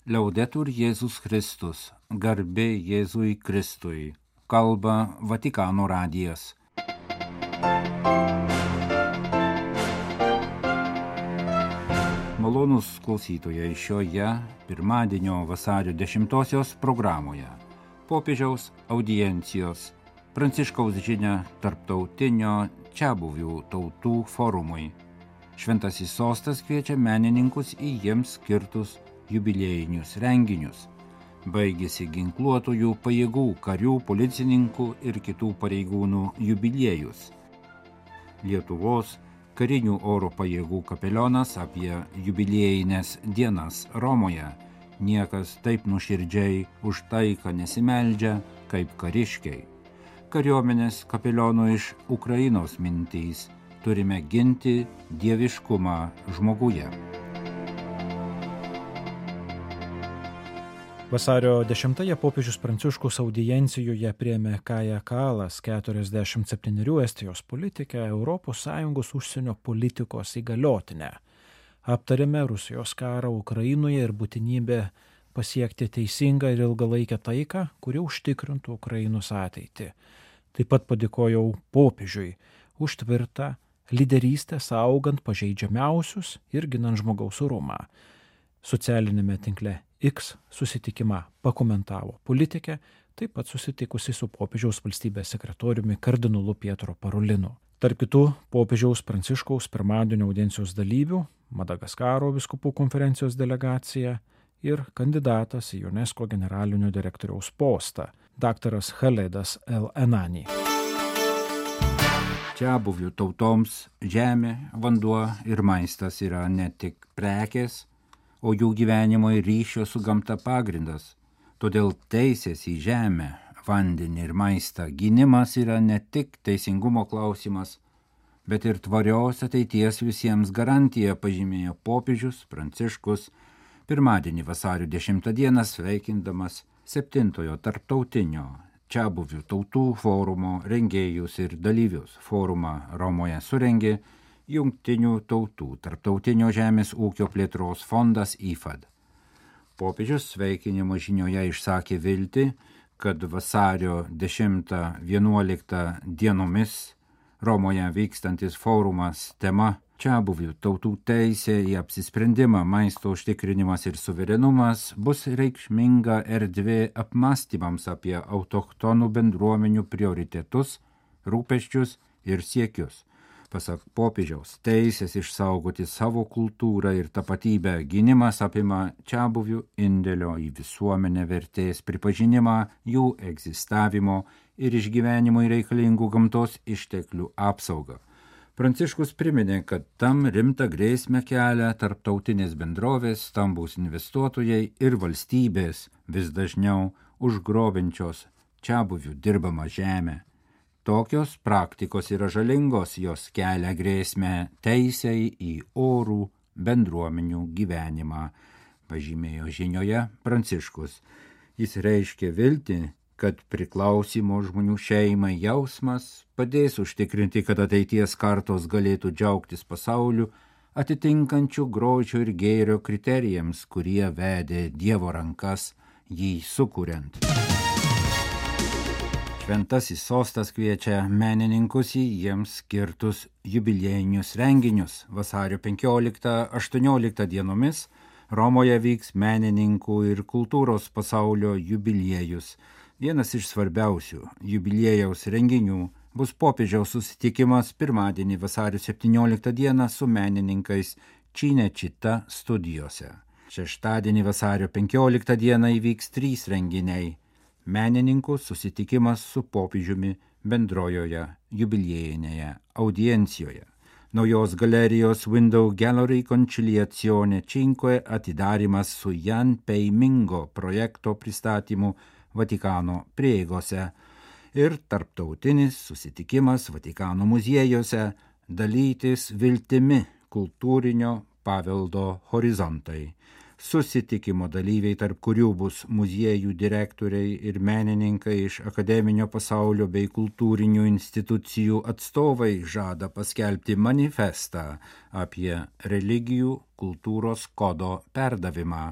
Liaudetur Jėzus Kristus, garbė Jėzui Kristui, kalba Vatikano radijas. Malonūs klausytojai šioje pirmadienio vasario 10 programoje. Popiežiaus audiencijos, Pranciškaus žinia tarptautinio čiabuvių tautų forumui. Šventasis sostas kviečia menininkus į jiems skirtus jubiliejinius renginius. Baigėsi ginkluotojų pajėgų, karių, policininkų ir kitų pareigūnų jubiliejus. Lietuvos karinių oro pajėgų kapelionas apie jubiliejines dienas Romoje. Niekas taip nuoširdžiai už taiką nesimeldžia, kaip kariškiai. Kariuomenės kapelionų iš Ukrainos mintys: turime ginti dieviškumą žmoguje. Vasario 10-ąją popiežius Pranciškus audiencijoje priėmė Kają Kalas, 47 Estijos politikę, ES užsienio politikos įgaliotinę. Aptarėme Rusijos karą Ukrainoje ir būtinybę pasiekti teisingą ir ilgalaikę taiką, kuri užtikrintų Ukrainos ateitį. Taip pat padėkojau popiežiui už tvirtą lyderystę saugant pažeidžiamiausius ir ginant žmogaus orumą. Socialinėme tinkle X susitikimą pakomentavo politikė, taip pat susitikusi su popiežiaus valstybės sekretoriumi kardinolu Pietro Parolinu. Tarp kitų popiežiaus Pranciškaus pirmadienio audiencijos dalyvių Madagaskaro vyskupų konferencijos delegacija ir kandidatas į UNESCO generalinio direktoriaus postą, daktaras Khaledas El Enani. Čiabuvių tautoms žemė, vanduo ir maistas yra ne tik prekės, o jų gyvenimo ir ryšio su gamta pagrindas. Todėl teisės į žemę, vandenį ir maistą gynimas yra ne tik teisingumo klausimas, bet ir tvarios ateities visiems garantija, pažymėjo popiežius Pranciškus pirmadienį vasario 10 dieną sveikindamas 7-ojo tarptautinio čiabuvių tautų forumo rengėjus ir dalyvius. Forumą Romoje surengė Jungtinių tautų tarptautinio žemės ūkio plėtros fondas IFAD. Popiežius sveikinimo žinioje išsakė viltį, kad vasario 10-11 dienomis Romoje vykstantis forumas tema čiabuvių tautų teisė į apsisprendimą, maisto užtikrinimas ir suverenumas bus reikšminga erdvė apmąstymams apie autochtonų bendruomenių prioritetus, rūpesčius ir siekius. Pasak popiežiaus, teisės išsaugoti savo kultūrą ir tapatybę gynimas apima čiabuvių indėlio į visuomenę vertės pripažinimą, jų egzistavimo ir išgyvenimui reikalingų gamtos išteklių apsaugą. Pranciškus priminė, kad tam rimtą grėsmę kelia tarptautinės bendrovės, stambūs investuotojai ir valstybės vis dažniau užgrobiančios čiabuvių dirbamą žemę. Tokios praktikos yra žalingos, jos kelia grėsmę teisei į orų bendruomenių gyvenimą, pažymėjo žinioje Pranciškus. Jis reiškė viltį, kad priklausimo žmonių šeimai jausmas padės užtikrinti, kad ateities kartos galėtų džiaugtis pasauliu atitinkančių grožio ir gėrio kriterijams, kurie vedė Dievo rankas jį sukuriant. Šventasis sostas kviečia menininkus į jiems skirtus jubiliejinius renginius. Vasario 15-18 dienomis Romoje vyks menininkų ir kultūros pasaulio jubiliejus. Vienas iš svarbiausių jubiliejaus renginių bus popiežiaus susitikimas pirmadienį vasario 17 dieną su menininkais Cinecittà studijose. Šeštadienį vasario 15 dieną įvyks 3 renginiai. Menininkų susitikimas su popiežiumi bendrojoje jubiliejinėje audiencijoje. Naujos galerijos Window Gallery Conciliazione 5 atidarymas su Jan Peimingo projekto pristatymu Vatikano prieigose ir tarptautinis susitikimas Vatikano muziejuose dalytis viltimi kultūrinio paveldo horizontai. Susitikimo dalyviai, tarp kurių bus muziejų direktoriai ir menininkai iš akademinio pasaulio bei kultūrinių institucijų atstovai, žada paskelbti manifestą apie religijų kultūros kodo perdavimą.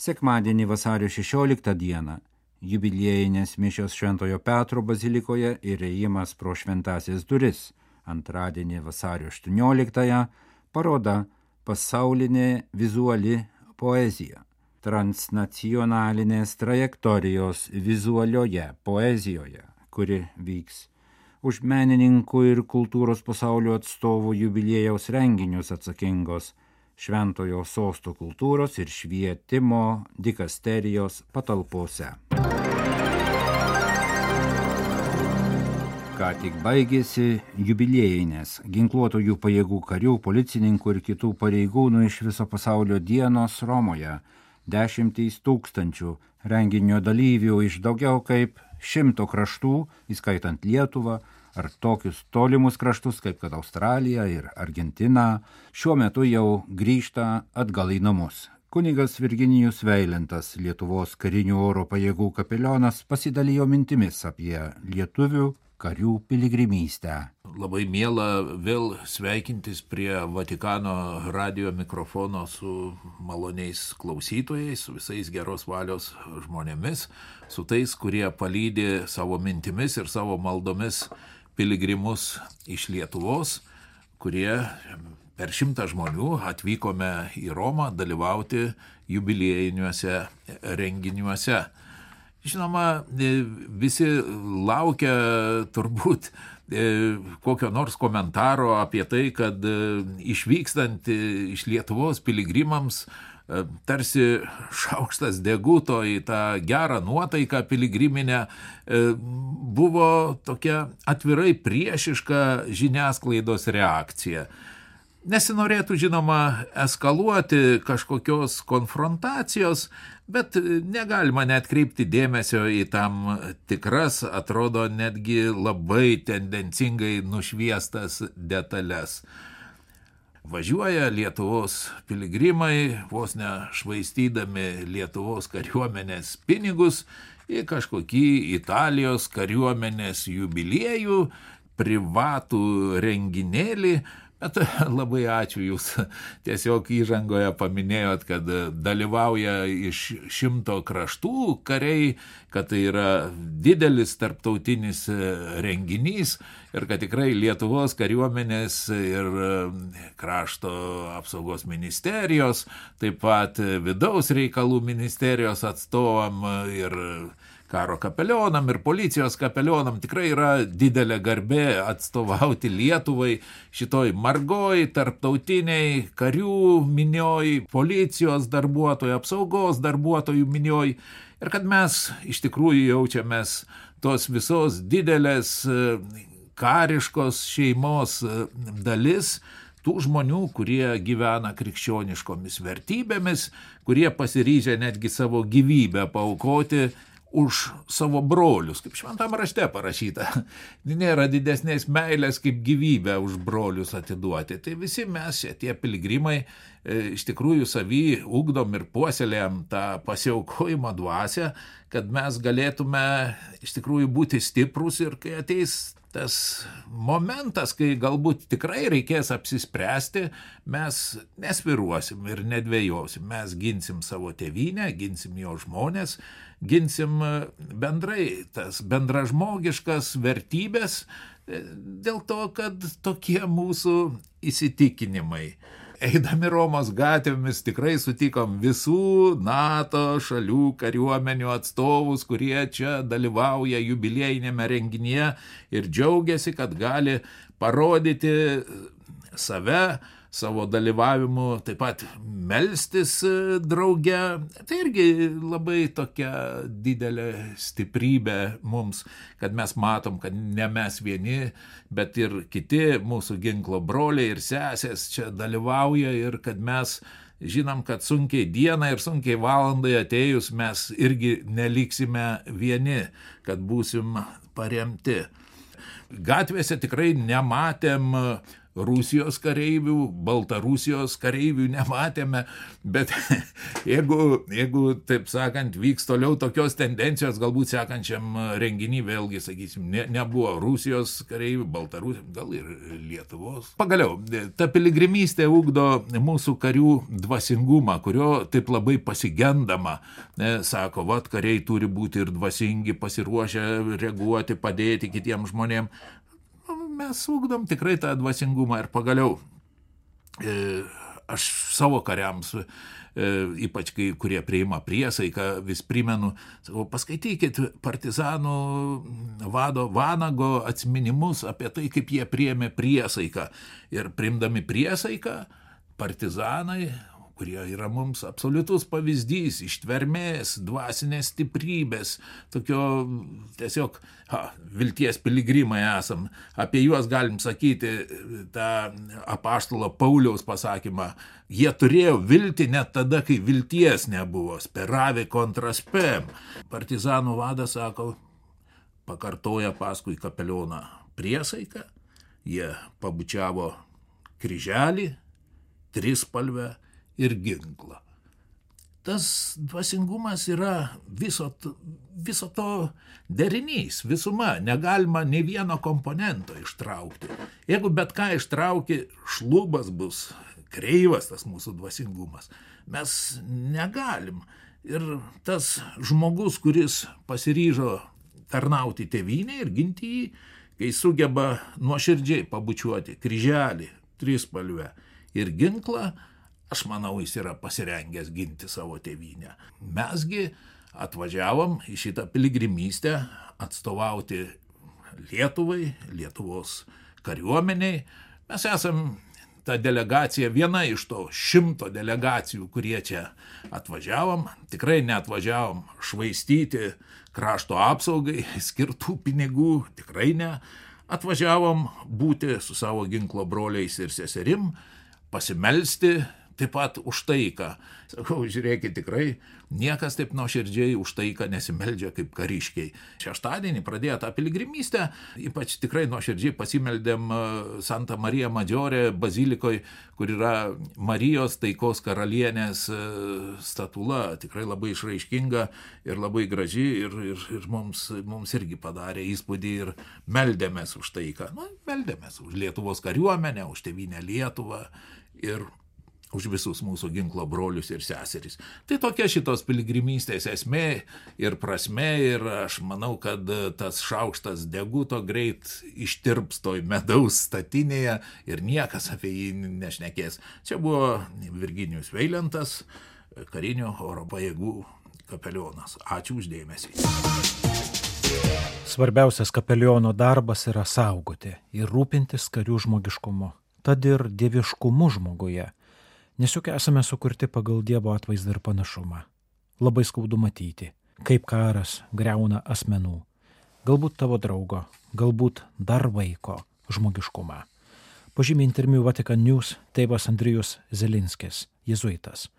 Sekmadienį vasario 16 dieną jubiliejinės mišios Šventojo Petro bazilikoje ir ėjimas pro šventąsias duris. Antradienį vasario 18 paroda Pasaulinė vizuali poezija. Transnacionalinės trajektorijos vizualioje poezijoje, kuri vyks už menininkų ir kultūros pasaulio atstovų jubiliejaus renginius atsakingos Šventojo sosto kultūros ir švietimo dikasterijos patalpose. Ką tik baigėsi jubiliejinės ginkluotojų pajėgų karių, policininkų ir kitų pareigūnų iš viso pasaulio dienos Romoje. 10 000 renginio dalyvių iš daugiau kaip 100 kraštų, įskaitant Lietuvą, ar tokius tolimus kraštus kaip kad Australija ir Argentina, šiuo metu jau grįžta atgal į namus. Kunigas Virginijus Veilentas, Lietuvos karinių oro pajėgų kapelionas, pasidalijo mintimis apie lietuvių karių piligrimystę. Labai miela vėl sveikintis prie Vatikano radijo mikrofono su maloniais klausytojais, su visais geros valios žmonėmis, su tais, kurie palydi savo mintimis ir savo maldomis piligrimus iš Lietuvos, kurie per 100 žmonių atvykome į Romą dalyvauti jubiliejiniuose renginiuose. Žinoma, visi laukia turbūt kokio nors komentaro apie tai, kad išvykstant iš Lietuvos piligrimams tarsi šaukštas deguto į tą gerą nuotaiką piligriminę buvo tokia atvirai priešiška žiniasklaidos reakcija. Nesinorėtų, žinoma, eskaluoti kažkokios konfrontacijos, bet negalima net kreipti dėmesio į tam tikras, atrodo, netgi labai tendencingai nušviestas detalės. Važiuoja Lietuvos piligrimai, vos ne švaistydami Lietuvos kariuomenės pinigus į kažkokį Italijos kariuomenės jubiliejų, privatų renginėlį. Bet labai ačiū, jūs tiesiog įžangoje paminėjot, kad dalyvauja iš 100 kraštų kariai, kad tai yra didelis tarptautinis renginys ir kad tikrai Lietuvos kariuomenės ir krašto apsaugos ministerijos, taip pat vidaus reikalų ministerijos atstovam ir karo kapelionam ir policijos kapelionam tikrai yra didelė garbė atstovauti Lietuvai šitoj margoj, tarptautiniai karių minioj, policijos darbuotojų, apsaugos darbuotojų minioj ir kad mes iš tikrųjų jaučiamės tos visos didelės kariškos šeimos dalis, tų žmonių, kurie gyvena krikščioniškomis vertybėmis, kurie pasiryžę netgi savo gyvybę paaukoti už savo brolius, kaip šventam rašte parašyta. Nėra didesnės meilės kaip gyvybę už brolius atiduoti. Tai visi mes, tie piligrimai, iš tikrųjų savy ugdom ir puoselėjam tą pasiaukojimo dvasią, kad mes galėtume iš tikrųjų būti stiprus ir kai ateis tas momentas, kai galbūt tikrai reikės apsispręsti, mes nesviruosim ir nedvejosim. Mes ginsim savo tėvynę, ginsim jo žmonės, ginsim bendrai tas bendražmogiškas vertybės dėl to, kad tokie mūsų įsitikinimai. Eidami Romos gatvėmis tikrai sutikom visų NATO šalių kariuomenių atstovus, kurie čia dalyvauja jubiliejinėme renginyje ir džiaugiasi, kad gali parodyti save, savo dalyvavimu, taip pat melstis drauge. Tai irgi labai tokia didelė stiprybė mums, kad mes matom, kad ne mes vieni, bet ir kiti mūsų ginklo broliai ir sesės čia dalyvauja ir kad mes žinom, kad sunkiai dieną ir sunkiai valandai atėjus mes irgi neliksime vieni, kad būsim paremti. Gatvėse tikrai nematėm Rusijos kareivių, Baltarusijos kareivių nematėme, bet jeigu taip sakant, vyks toliau tokios tendencijos, galbūt sekančiam renginį vėlgi, sakysim, nebuvo Rusijos kareivių, Baltarusijos, gal ir Lietuvos. Pagaliau, ta piligrimystė ugdo mūsų karių dvasingumą, kurio taip labai pasigendama, sako, vat kariai turi būti ir dvasingi, pasiruošę reaguoti, padėti kitiems žmonėms. Mes ugdom tikrai tą dvasingumą ir pagaliau aš savo kariams, ypač kai kurie priima priesaiką, vis primenu, sakau, paskaitykit partizanų vado Vanago atsiminimus apie tai, kaip jie priėmė priesaiką. Ir priimdami priesaiką, partizanai, kurie yra mums absoliutus pavyzdys, ištvermės, dvasinės stiprybės, tokio tiesiog vilties piligrimai esam. Apie juos galim sakyti tą apaštalo Pauliaus pasakymą. Jie turėjo viltį net tada, kai vilties nebuvo. Speravi contra spem. Partizanų vadas sako, pakartoja paskui kapelioną priesaiką, jie pabučiavo kryželį, trispalvę ir ginklą. Tas dvasingumas yra viso to derinys, visuma, negalima nei vieno komponento ištraukti. Jeigu bet ką ištrauki, šlubas bus, kreivas tas mūsų dvasingumas. Mes negalim. Ir tas žmogus, kuris pasiryžo tarnauti tėvynę ir ginti jį, kai sugeba nuoširdžiai pabučiuoti kryželį, trispalvę ir ginklą, aš manau, jis yra pasirengęs ginti savo tėvynę. Mesgi atvažiavom į šitą piligrimystę atstovauti Lietuvai, Lietuvos kariuomeniai. Mes esam ta delegacija, viena iš to 100 delegacijų, kurie čia atvažiavom. Tikrai neatvažiavom švaistyti krašto apsaugai skirtų pinigų, tikrai ne. Atvažiavom būti su savo ginklo broliais ir seserim, pasimelsti, taip pat už taiką. Sakau, žiūrėkit, tikrai niekas taip nuoširdžiai už taiką nesimeldžia kaip kariškiai. Šeštadienį pradėjo tą piligrimystę, ypač tikrai nuoširdžiai pasimeldėm Santa Marija Maggiore bazilikoje, kur yra Marijos taikos karalienės statula, tikrai labai išraiškinga ir labai graži ir mums irgi padarė įspūdį ir meldėmės už taiką. Meldėmės už Lietuvos kariuomenę, už tėvynę Lietuvą ir už visus mūsų ginklo brolius ir seseris. Tai tokia šitos piligrimystės esmė ir prasmė ir aš manau, kad tas šaukštas deguto greit ištirps toj medaus statinėje ir niekas apie jį nešnekės. Čia buvo Virginijus Veilentas, karinių oro pajėgų kapelionas. Ačiū uždėmesį. Svarbiausias kapeliono darbas yra saugoti ir rūpintis karių žmogiškumu, tad ir dieviškumu žmoguje. Nes juk esame sukurti pagal Dievo atvaizdą ir panašumą. Labai skaudu matyti, kaip karas griauna asmenų, galbūt tavo draugo, galbūt dar vaiko žmogiškumą. Pažymė interviu Vatican News tėvas Andrijus Zelinskis, jėzuitas,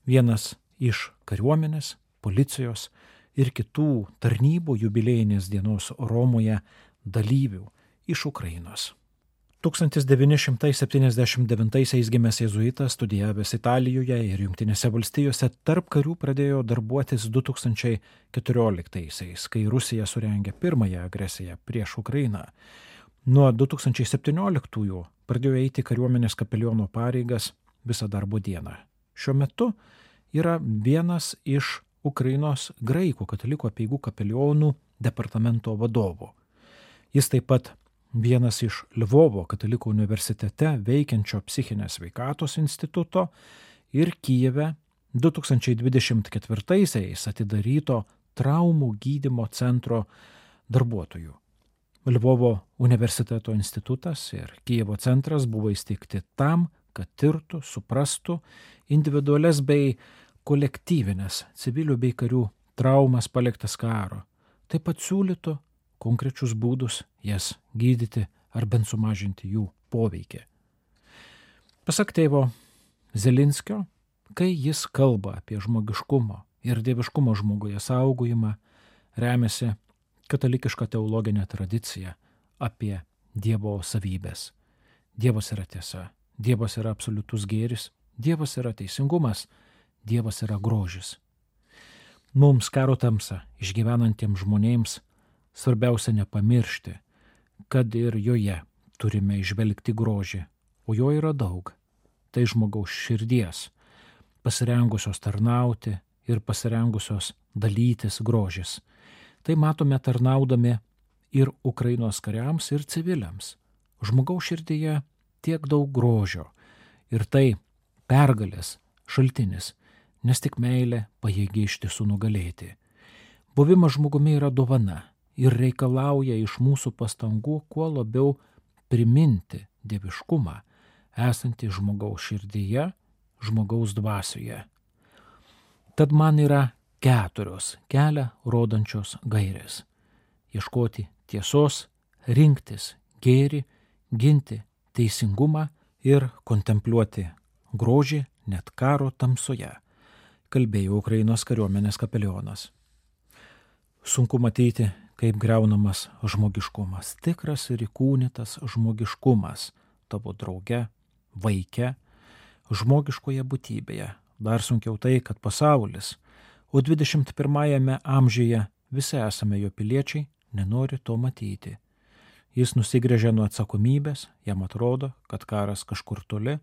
vienas iš kariuomenės, policijos ir kitų tarnybų jubiliejinės dienos Romoje dalyvių iš Ukrainos. 1979 gimęs jėzuitas, studijavęs Italijoje ir Jungtinėse valstijose, tarp karių pradėjo darbuotis 2014, kai Rusija surengė pirmąją agresiją prieš Ukrainą. Nuo 2017 pradėjo eiti kariuomenės kapeliono pareigas visą darbo dieną. Šiuo metu yra vienas iš Ukrainos graikų katalikų apeigų kapelionų departamento vadovų. Jis taip pat vienas iš Lvovo katalikų universitete veikiančio psichinės sveikatos instituto ir Kijeve 2024 atidaryto traumų gydymo centro darbuotojų. Lvovo universiteto institutas ir Kijevo centras buvo įsteigti tam, kad tirtų, suprastų individualias bei kolektyvinės civilių bei karių traumas paliktas karo, taip pat siūlytų konkrečius būdus jas gydyti ar bent sumažinti jų poveikį. Pasak tėvo Zelinskio, kai jis kalba apie žmogiškumo ir dieviškumo žmoguje saugojimą, remiasi katalikiška teologinė tradicija apie Dievo savybės. Dievas yra tiesa, Dievas yra absoliutus gėris, Dievas yra teisingumas, Dievas yra grožis. Mums karo tamsą išgyvenantiems žmonėms svarbiausia nepamiršti, kad ir joje turime įžvelgti grožį, o jo yra daug. Tai žmogaus širdies, pasirengusios tarnauti ir pasirengusios dalytis grožis. Tai matome tarnaudami ir Ukrainos kariams, ir civiliams. Žmogaus širdyje tiek daug grožio ir tai pergalės šaltinis, nes tik meilė pajėgi iš tiesų nugalėti. Buvimas žmogumi yra dovana ir reikalauja iš mūsų pastangų kuo labiau priminti dieviškumą esantį žmogaus širdyje, žmogaus dvasioje. Tad man yra 4 kelią rodančios gairės. Ieškoti tiesos, rinktis gėrį, ginti teisingumą ir kontempliuoti grožį net karo tamsoje, kalbėjo Ukrainos kariuomenės kapelionas. Sunku matyti, kaip griaunamas žmogiškumas, tikras ir įkūnytas žmogiškumas tavo drauge, vaike, žmogiškoje būtybėje. Dar sunkiau tai, kad pasaulis, o 21 amžiuje visi esame jo piliečiai, nenori to matyti. Jis nusigręžia nuo atsakomybės, jam atrodo, kad karas kažkur toli,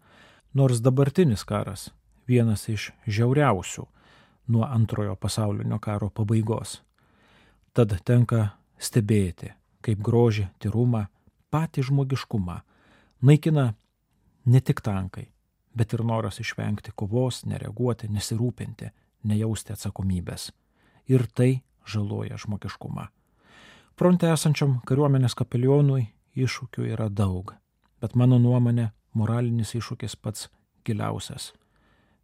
nors dabartinis karas vienas iš žiauriausių nuo Antrojo pasaulinio karo pabaigos. Tad tenka stebėti, kaip grožį, tyrumą, patį žmogiškumą naikina ne tik tankai, bet ir noras išvengti kovos, nereaguoti, nesirūpinti, nejausti atsakomybės. Ir tai žaloja žmogiškumą. Fronte esančiam kariuomenės kapelionui iššūkių yra daug, bet mano nuomonė moralinis iššūkis pats giliausias.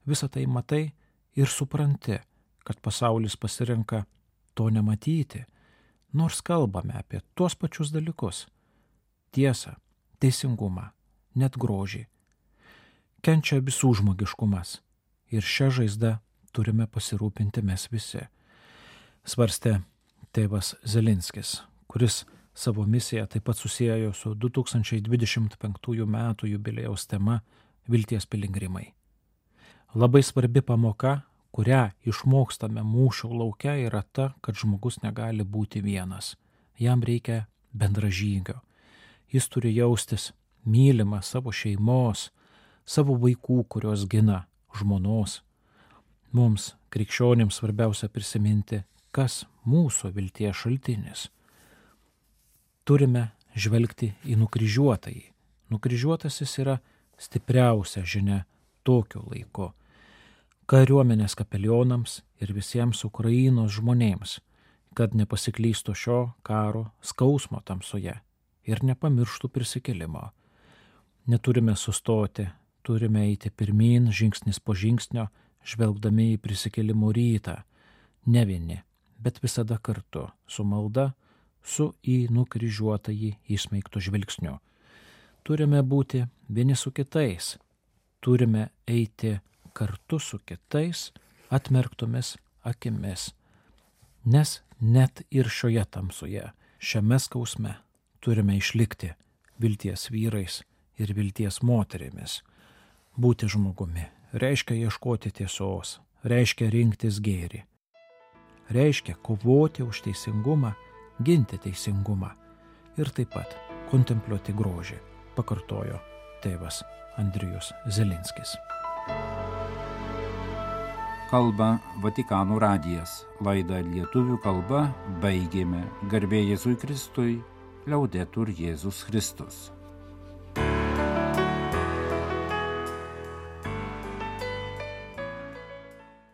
Visą tai matai ir supranti, kad pasaulis pasirenka to nematyti, nors kalbame apie tuos pačius dalykus – tiesą, teisingumą, net grožį. Kenčia visų žmogiškumas ir šią žaizdą turime pasirūpinti mes visi. Svarstė tėvas Zelinskis, kuris savo misiją taip pat susiejo su 2025 metų jubiliejaus tema Vilties piligrimai. Labai svarbi pamoka, kurią išmokstame mūšio lauke, yra ta, kad žmogus negali būti vienas. Jam reikia bendražygio. Jis turi jaustis mylimą savo šeimos, savo vaikų, kurios gina, žmonos. Mums, krikščionims, svarbiausia prisiminti, kas mūsų vilties šaltinis. Turime žvelgti į nukryžiuotąjį. Nukryžiuotasis yra stipriausia žinia tokiu laiku. Kariuomenės kapelionams ir visiems Ukrainos žmonėms, kad nepasiklystų šio karo skausmo tamsoje ir nepamirštų prisikėlimo. Neturime sustoti, turime eiti pirmyn, žingsnis po žingsnio, žvelgdami į prisikėlimo rytą, ne vieni, bet visada kartu, su malda, su į nukryžiuotąjį įsmeigto žvilgsniu. Turime būti vieni su kitais, turime eiti kartu su kitais atmerktomis akimis, nes net ir šioje tamsoje, šiame skausme turime išlikti vilties vyrais ir vilties moterimis. Būti žmogumi reiškia ieškoti tiesos, reiškia rinktis gėrį, reiškia kovoti už teisingumą, ginti teisingumą ir taip pat kontempliuoti grožį, pakartojo tėvas Andrijus Zelinskis. Kalba Vatikano radijas. Laidą lietuvių kalba baigėme. Garbė Jėzui Kristui, Liaudetur Jėzus Kristus.